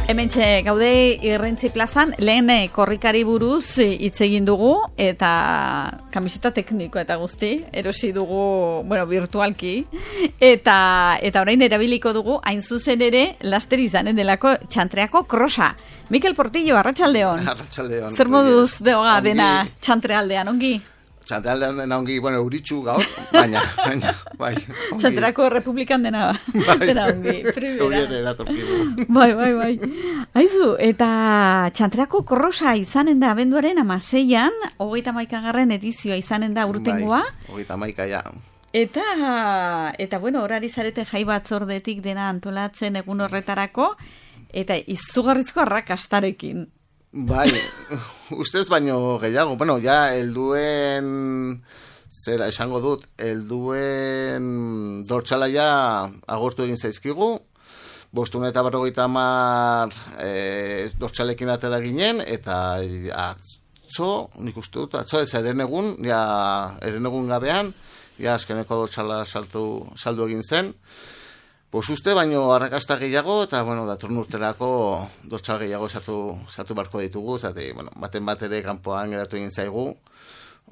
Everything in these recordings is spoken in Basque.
Hementxe gaude Irrintzi plazan, lehen korrikari buruz hitz egin dugu, eta kamiseta tekniko eta guzti, erosi dugu, virtualki, eta orain erabiliko dugu, hain zuzen ere, laster izanen delako txantreako krosa. Mikel Portillo, arratsaldeon. Arratsaldeon. Zer moduz deoga dena txantrealdean, ongi? Txantrealdean dena ongi, uritxu gaur, baina, bai. Txantreako republikan dena ongi, primera. Horiere datorkigu. Bai. Aizu, eta txantreako krosa izanen da abenduaren 16an, 31. edizioa izanen da urtengoa. Bai, 31, ja. Eta horari zarete jai batzordetik dena antolatzen egun horretarako, eta izugarrizko arrakastarekin. Bai, ustez baino gehiago. Ja, helduen, zera esango dut, helduen dortsalaia agortu egin zaizkigu. 550 dortsalekin atera ginen, eta atzo, nik uste dut, atzo ez herenegun gabean, azkeneko dortsala saldu egin zen. Uste baino arrakasta gehiago, eta datorren urterako dortsal gehiago sartu barko ditugu, zate, baten bat ere kanpoan geratu egin zaigu,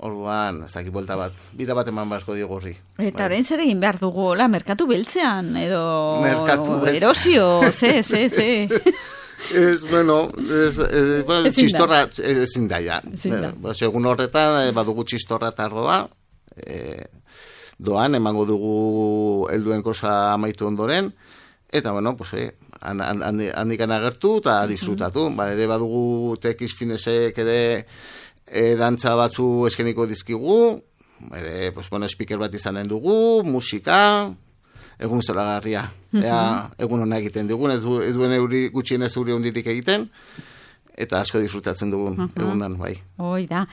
orduan, ez dakit buelta bat, bida bat eman barko digurri. Eta orain zer egin behar dugu, merkatu beltzean, edo erosio, ze. Txistorra ezin da, ja. Egun horretan, badugu txistorra eta ardoa, doan, emango dugu helduen krosa amaitu ondoren, eta, handikan agertu eta disfrutatu. Ere badugu tekiz finesek ere dantza batzu eskeniko dizkigu, ere, speaker bat izanen dugu, musika, egun zoragarria. Egun hona egiten dugun, ez duen gutxienez euri hondirik egiten, eta asko disfrutatzen dugun egunan, bai. Hoi da.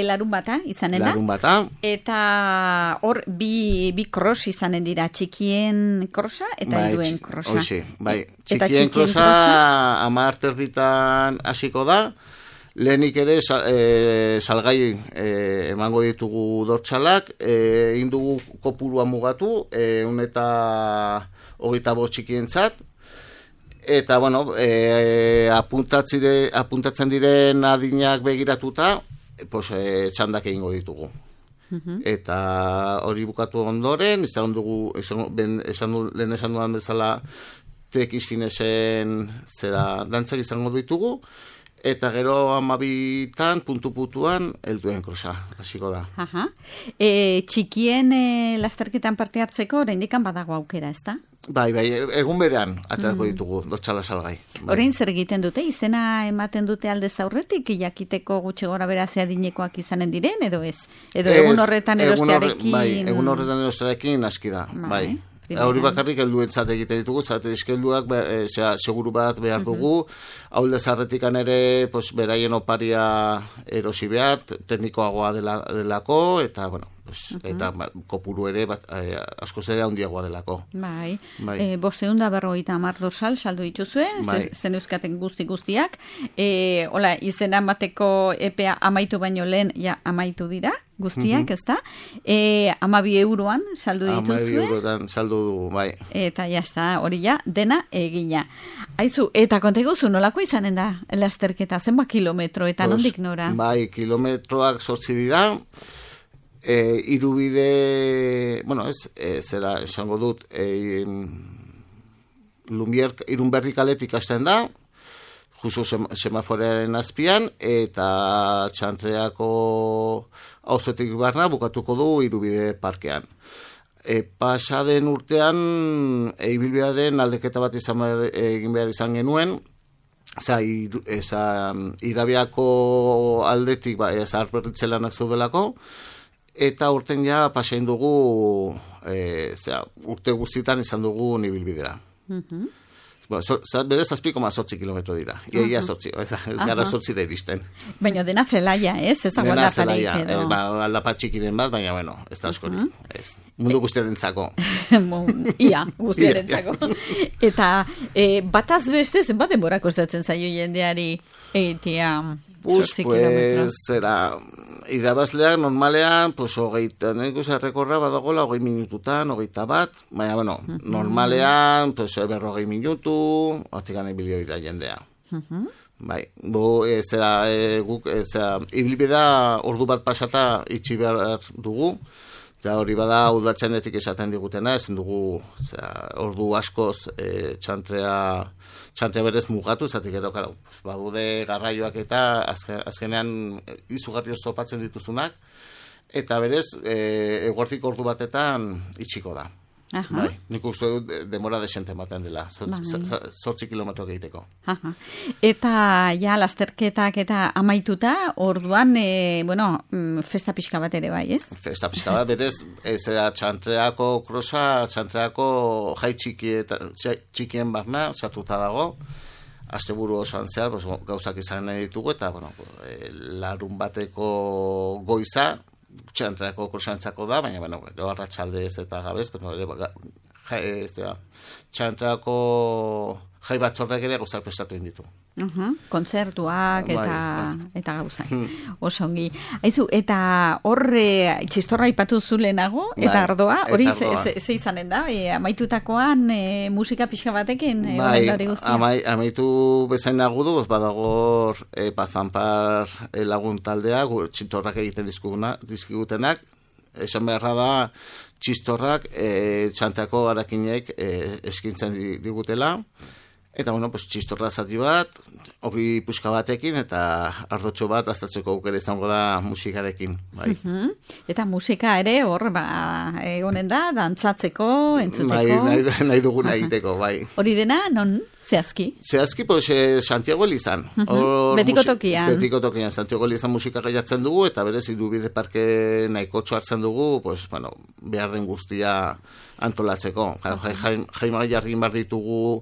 Larun bata izanen da? Larun bata. Eta hor bi cross izanen dira, txikien krosa eta helduen krosa. Hoxe, bai. Txikien krosa 10 erditan hasiko da. Lehenik ere salgai emango ditugu dortsalak, egin dugu kopurua mugatu, 125 txikientzat. Eta, apuntatzen diren adinak begiratuta, txandak egingo ditugu. Eta hori bukatu ondoren, lehen esan duan bezala, tekiz finesen dantzak izango ditugu, eta gero 12 puntu-puntuan helduen krosa, hasiko da. Txikien lasterketan parte hartzeko, oraindik badago aukera, ez da? Bai, egun berean aterako ditugu, dortsala salgai. Orain zer egiten dute? Izena ematen dute aldez aurretik, jakiteko gutxi gora berazia dinekoak izanen diren, edo ez? Edo egun horretan erostearekin? Bai, egun horretan erostearekin aski da, bai. Hori bakarrik helduentzat egiten ditugu, zate eskelduak seguru bat behar dugu, haulde zarretikan ere beraien oparia erosi behar, teknikoagoa delako, eta, eta kopuru ere asko zera handiagoa delako. Bai, 550 dorsal saldu dituzue, zen euskaten guztiak, izena emateko epea amaitu baino lehen amaitu dira, guztiak, ez da? 12 euroan saldu dituzue. 12 euroan saldu dugu, bai. Eta jazta, hori dena egina. Aizu, eta konteguzu, nolako izanen da lasterketa, zenba kilometro, eta nondik nora? Bai, kilometroak 8 dira, irubide, zera esango dut, Irunberri kaletik hasten da, justu semaforearen azpian, eta txantreako auzotik barna bukatuko du irubide parkean. Pasaden urtean, ibilbidearen aldeketa bat egin behar izan genuen, Irabiako aldetik zarperritzelanak zaudelako, eta urten pasain dugu, urte guztietan izan dugu ibilbidera. Bere 7,8 kilometro dira. Ia 8, ez gara 8 da iristen. Baina dena zelaia, ez? Ez dago aldaparik edo. Aldapat txikiren bat, baina, ez da askori. Mundu guztiarentzako. Ia, guztiarentzako. Eta bataz beste, zenbat denbora kostatzen zaio jendeari Pues, zera, irabazleak normalean, pues, hogeita, nik uste rekorra badagoela, 20 minututan, 21, baina, bueno, normalean, pues, 40 minutu, hortikan ibilio da jendea. Bai, guk, ibilbidea ordu bat pasata itxi behar dugu, eta hori bada udatzenetik esaten digutena, ezin dugu ordu askoz txantrea berez mugatu, zatik edo, badude garraioak eta azkenean izugarri zopatzen dituzunak, eta berez, eguerdik ordu batetan itxiko da. Bai, nik uste dut demora desente ematen dela, 8 kilometro egiteko. Eta ja, lasterketak eta amaituta, orduan, festa pixka bat ere bai, ez? Festa pixka bat, berez, txantreako krosa, txantreako jai txikien barna, sartuta dago, asteburu osoan zehar, gauzak izan nahi ditugu, eta, larun bateko goiza, txantreako kursantzako da, baina, arratsalde ez eta gabez, txantreako jai batzordak ere gauzak prestatu inditu. Kontzertuak eta gauzak. Osongi. Aizu, eta horre txistorra ipatu zulenago, eta ardoa, hori ze izanen da? Amaitutakoan musika pixka batekin? Amaitu bezain agudu, badago Pazanpar lagun taldea, txistorrak egiten dizkigutenak, esan beharra da, txistorrak txantako garakinek eskintzen digutela, eta, txistorra zati bat, hori puska batekin, eta ardotxo bat aztatzeko aukera izango da musikarekin. Bai. Eta musika ere, hor, egonen da, dantzatzeko, entzutzeko? Nahi duguna egiteko, bai. Hori dena, non? Zehazki? Zehazki, Santiago Elizan. Betiko tokian. Betiko tokian, Santiago Elizan musika gaiatzen dugu, eta berez, Idubide Parke nahikotxo hartzen dugu, behar den guztia antolatzeko. Jaima jarrin bar ditugu,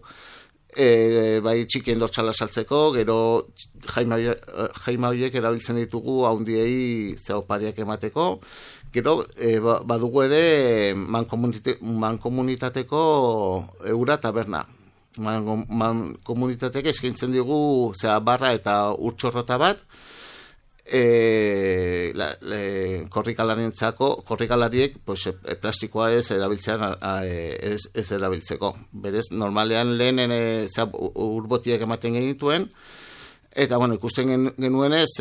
bai txikien dortxala saltzeko, gero jaima horiek erabiltzen ditugu haundiei zeopariak emateko, gero badugu ere mankomunitateko eura taberna. Mankomunitatek eskaintzen digu barra eta urtxorrota bat, korrikalariek plastikoa ez erabiltzeko. Berez, normalean lehenen urbotiak ematen genituen, eta ikusten genuenez,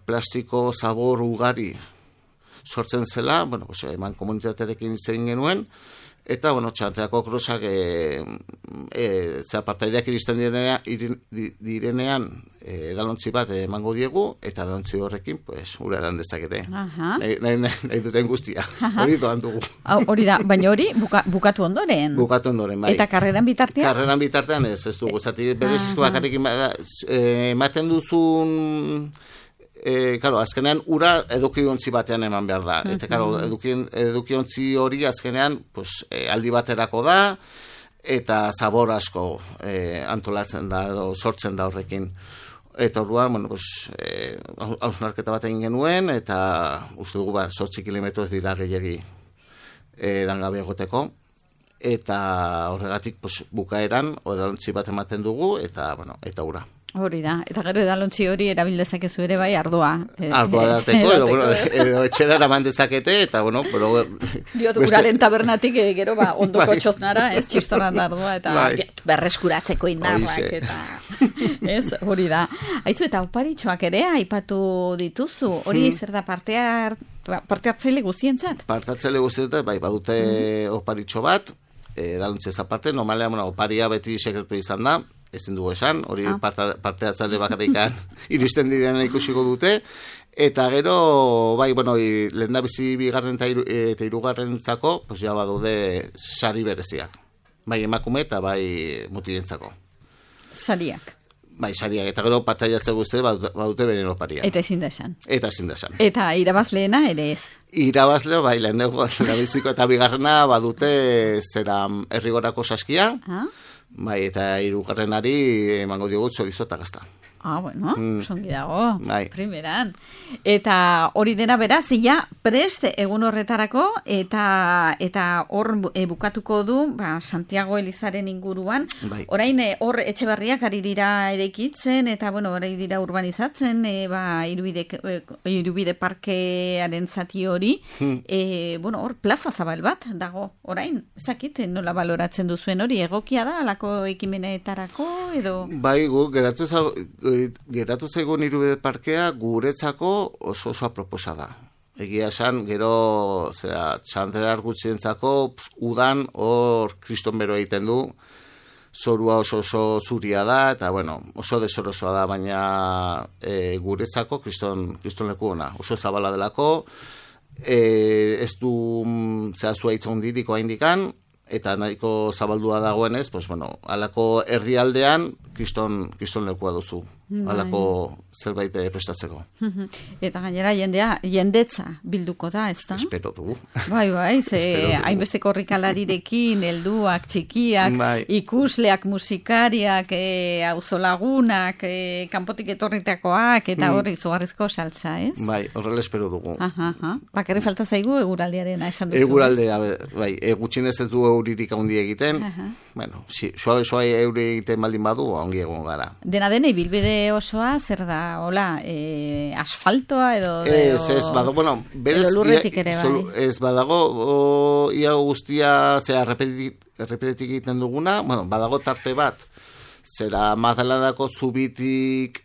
plastiko zabor ugari sortzen zela, eman komunitatearekin izan genuen, eta, txantreako krosak partaideak iristen direnean edalontzi bat emango diegu, eta edalontzi horrekin, ura edan dezakete. Nahi duten guztia. Hori doan dugu. Hori da, baina hori bukatu ondoren. Bukatu ondoren, bai. Eta karreran bitartean? Karreran bitartean ez dugu. Zati, berez bakarrik ematen duzun... azkenean ura edukiontzi batean eman behar da. Eta, edukiontzi hori azkenean aldi baterako da, eta zabor asko antolatzen da, edo sortzen da horrekin. Eta orduan, hausnarketa bat egin genuen, eta uste dugu 8 kilometro ez dira gehiagi dangabe egoteko. Eta horregatik bukaeran, edalontzi bat ematen dugu, eta ura. Hori da, eta gero edalontzi hori erabildezakezu ere bai ardoa. Ardoa dateko, edo etxera eraman dezakete, eta diot, uraren tabernatik gero ondoko txoznara, ez, txistorran da ardoa, eta berreskuratzeko indarrak, eta hori da. Aizu, eta oparitxoak ere aipatu dituzu, hori zer da parte hartzaile guztientzat? Parte hartzaile guztientzat, bai, badute oparitxo bat, edalontzez aparte, normalean oparia beti sekretu izan da, ezin dugu esan, hori parte atzalde bakarrikan iristen diren ikusiko dute, eta gero, bai, lehen da bizi bigarren eta hirugarren zako, ja badude sari bereziak. Bai, emakume eta bai mutilentzako. Sariak. Bai, sariak, eta gero parte atzalde guzti badute beren oparia. Eta ezin da esan. Eta ezin da esan. Eta irabazleena ere ez. Irabazleo, bai, lehen biziko eta bigarrena badute errigorako saskia, bai, eta hirugarrenari emango diogu txorizo eta gazta. Bueno, songi dago, Bai. primeran. Eta hori dena beraz, ja, prest egun horretarako, eta hor bukatuko du, Santiago Elizaren inguruan. Bai. Orain, hor Etxeberriak ari dira eraikitzen, eta, ari dira urbanizatzen, Irubide parkearen zati hori. Hor plaza zabal bat dago, orain, ezakit, nola baloratzen duzuen hori, egokia da, alako ekimenetarako, edo... Bai, geratu zaigun Irubide parkea guretzako oso aproposa da. Egia esan, gero, txandera argutzientzako, udan hor kriston bero egiten du, zorua oso zuria da, eta, oso desorosoa da, baina guretzako kriston leku ona. Oso zabala delako, ez du zuaitza hundiriko haindikan, eta nahiko zabaldua dagoenez, alako erdialdean kriston lekua duzu. Alako zerbait prestatzeko. Eta gainera jendetza bilduko da, ez da? Espero dugu. Bai, hainbeste korrikalarirekin, helduak, txikiak, ikusleak, musikariak, auzolagunak, kanpotik etorritakoak, eta horri zugarrizko saltza, ez? Bai, horrela espero dugu. Bakarri falta zaigu eguraldiarena esan duzu. Eguraldea, bai, gutxinez ez du euririk handi egiten. Suabe euri egiten baldin badu, ongi egon gara. Dena ibilbide osoa, zer da, asfaltoa edo... Ez, badago, edo lurretik ere, bai. Ez badago, ia guztia, errepetetik egiten duguna, badago tarte bat, zera Magdalenako zubitik,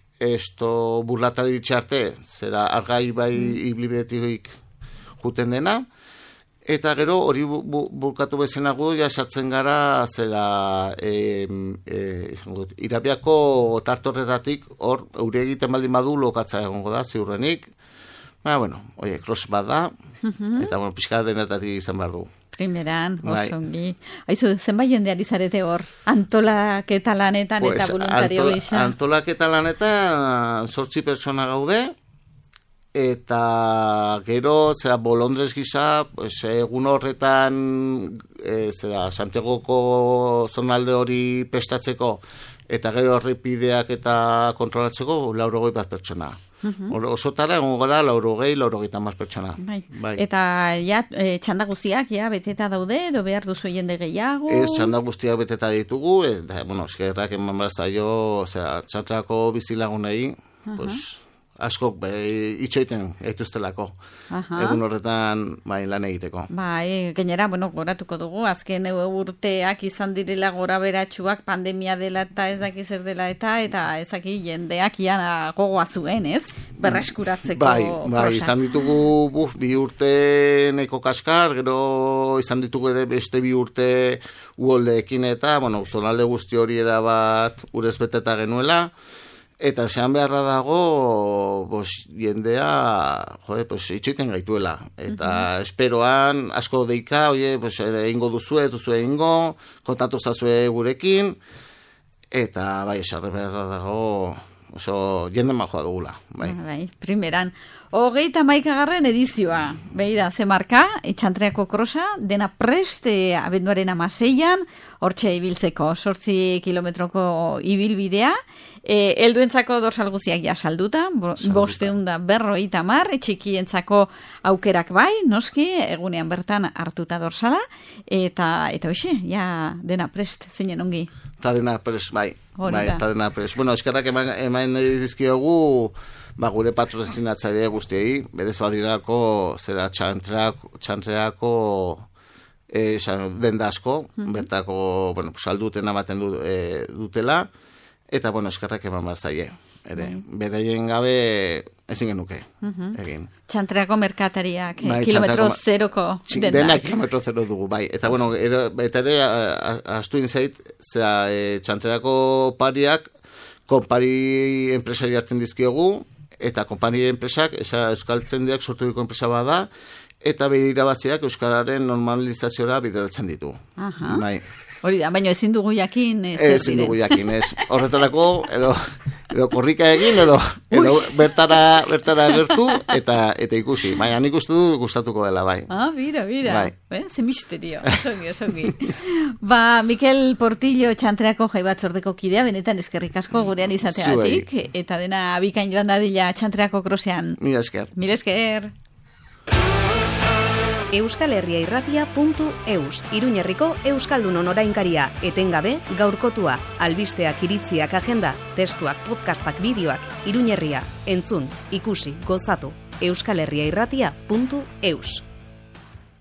burlatari txarte, zera argai bai ibilbidetik juten dena, eta gero hori bulkatu bezenago ja sartzen gara zera Irabiako tartorretatik hor euri egiten baldin badu lokatza egongo da ziurrenik. Cross bat da, eta pixka denetatik izan behar du. Primeran, osongi. Aizu, zenbait jendeari zarete hor, antolaketa lanetan eta voluntario gisa? Antolaketa lanetan 8 pertsona gaude, eta gero, bolondrez gisa, egun horretan, Santiagoko zonalde hori prestatzeko, eta gero errepideak eta kontrolatzeko, 80 pertsona. Osotara, egon gara, 80 pertsona. Eta txanda guztiak, beteta daude, edo behar duzu jende gehiago? Ez, txanda guztiak beteta ditugu, eta, eskerrak eman bazaio, txantrako bizilagunei, askok itxoiten eituztelako egun horretan lan egiteko. Gainera, goratuko dugu, azken urteak izan direla gora beratxuak pandemia dela eta ez daki zer dela eta ezaki jendeak gogoa zuen, ez? Berreskuratzeko prosa. Izan ditugu 2 urte neko kaskar, gero izan ditugu ere beste 2 urte uholdeekin eta, zonalde guzti hori erabat urez beteta genuela. Eta zean beharra dago, jendea, itxoiten gaituela. Eta esperoan, asko deika, egingo duzue egingo, kontatu zazue gurekin, eta esarre beharra dago, jende majoa dugula. Primeran. 31. edizioa. Beida, ze marka, Txantreako krosa, dena prest, abenduaren 16an, hortxe ibiltzeko, 8 kilometroko ibilbidea, helduentzako dorsal guziak salduta, 550, txikientzako aukerak bai, noski, egunean bertan hartuta dorsala, eta hoxe, dena prest, zeinen ongi. Eta dena prest, eta dena prest. Eskerrak eman dizkiogu, gure patrozinatzaile guztiei, berez badirako zera txantreako denda asko, bertako salduten amaten dutela, eta eskerrak eman barzaile. Bereien gabe ezin genuke egin. Txantreako merkatariak, kilometro zeroko dendak. Dena kilometro zero dugu, Eta ere, astu inzait, txantreako pariak, konpari enpresari hartzen dizkiogu, eta konpani enpresak, euskaltzendiak sorturiko enpresa bada, eta bere irabaziak euskararen normalizaziora bideratzen ditu. Hori da, baina ezin dugu jakin. Ezin dugu jakin, ez. Horretarako, edo edo korrika egin, edo bertara gertu, eta ikusi. Baina nik uste du gustatuko dela, bai. Mira. Bai. Ze misterio, osongi. Mikel Portillo Txantreako Jai Batzordeko kidea, benetan eskerrik asko gurean izateagatik, eta dena bikain joan dadila Txantreako krosean. Mila esker. euskalherriairratia.eus Iruñerriko Euskaldunon orainkaria, etengabe, gaurkotua, albisteak, iritziak, agenda, testuak, podcastak, bideoak, Iruñerria, entzun, ikusi, gozatu, euskalherriairratia.eus